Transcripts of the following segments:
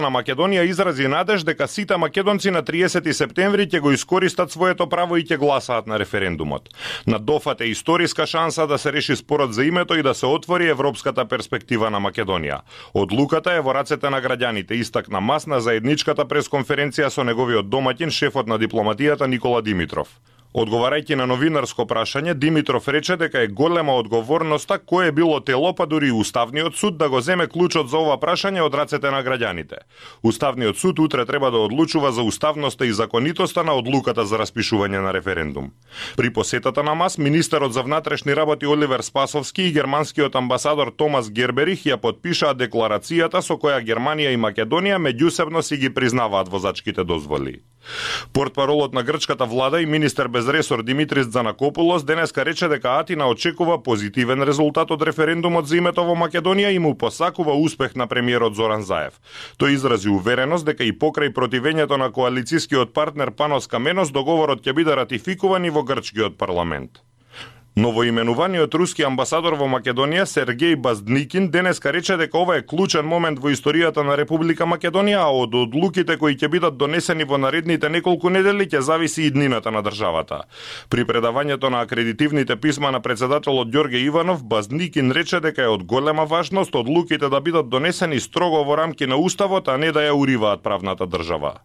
на Македонија изрази надеж дека сите македонци на 30 септември ќе го искористат своето право и ќе гласаат на референдумот. На Дофат е историска шанса да се реши спорот за името и да се отвори европската перспектива на Македонија. Одлуката е во рацете на граѓаните, истакна Мас на заедничката пресконференција со неговиот домаќин, шефот на дипломатијата Никола Димитров. Одговарајќи на новинарско прашање, Димитров рече дека е голема одговорноста кое било тело, па дури и Уставниот суд да го земе клучот за ова прашање од рацете на граѓаните. Уставниот суд утре треба да одлучува за уставноста и законитоста на одлуката за распишување на референдум. При посетата на Мас, министерот за внатрешни работи Оливер Спасовски и германскиот амбасадор Томас Герберих ја потпишаа декларацијата со која Германија и Македонија меѓусебно си ги признаваат возачките дозволи. Портпаролот на грчката влада и министер без ресор Димитрис Дзанакопулос денеска рече дека Атина очекува позитивен резултат од референдумот за името во Македонија и му посакува успех на премиерот Зоран Заев. Тој изрази увереност дека и покрај противењето на коалицискиот партнер Панос Каменос договорот ќе биде ратификуван и во грчкиот парламент. Новоименуваниот руски амбасадор во Македонија Сергеј Баздникин денеска рече дека ова е клучен момент во историјата на Република Македонија, а од одлуките кои ќе бидат донесени во наредните неколку недели ќе зависи и иднината на државата. При предавањето на акредитивните писма на председателот Ѓорге Иванов, Баздникин рече дека е од голема важност одлуките да бидат донесени строго во рамки на уставот, а не да ја уриваат правната држава.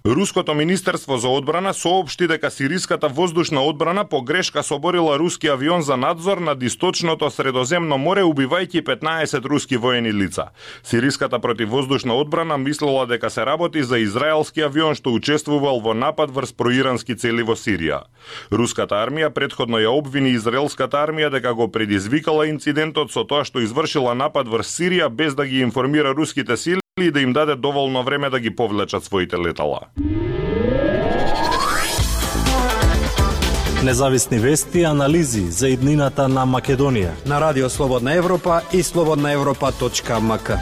Руското министерство за одбрана соопшти дека сириската воздушна одбрана по грешка соборила руски авион за надзор над источното Средоземно море, убивајќи 15 руски воени лица. Сириската противвоздушна одбрана мислела дека се работи за израелски авион што учествувал во напад врз проирански цели во Сирија. Руската армија претходно ја обвини израелската армија дека го предизвикала инцидентот со тоа што извршила напад врз Сирија без да ги информира руските сили и да им даде доволно време да ги повлечат своите летала. Независни вести и анализи за иднината на Македонија на Радио Слободна Европа и slobodnaevropa.mk.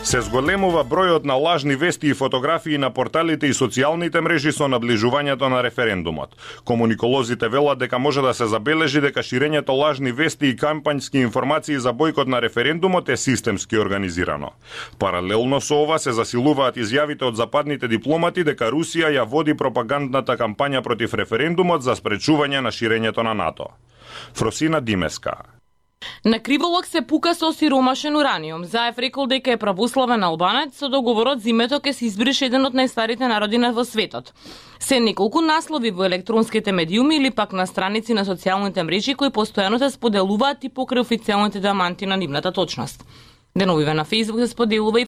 Се зголемува бројот на лажни вести и фотографии на порталите и социјалните мрежи со наближувањето на референдумот. Комуниколозите велат дека може да се забележи дека ширењето лажни вести и кампањски информации за бојкот на референдумот е системски организирано. Паралелно со ова се засилуваат изјавите од западните дипломати дека Русија ја води пропагандната кампања против референдумот за спречување на ширењето на НАТО. Фросина Димеска. На Криволок се пука со сиромашен ураниум. Заев рекол дека е православен албанец, со договорот за името ќе се избрише еден од најстарите народи во светот. Се неколку наслови во електронските медиуми или пак на страници на социјалните мрежи кои постојано се споделуваат и покрај официјалните даманти на нивната точност. Деновиве на Facebook се споделува и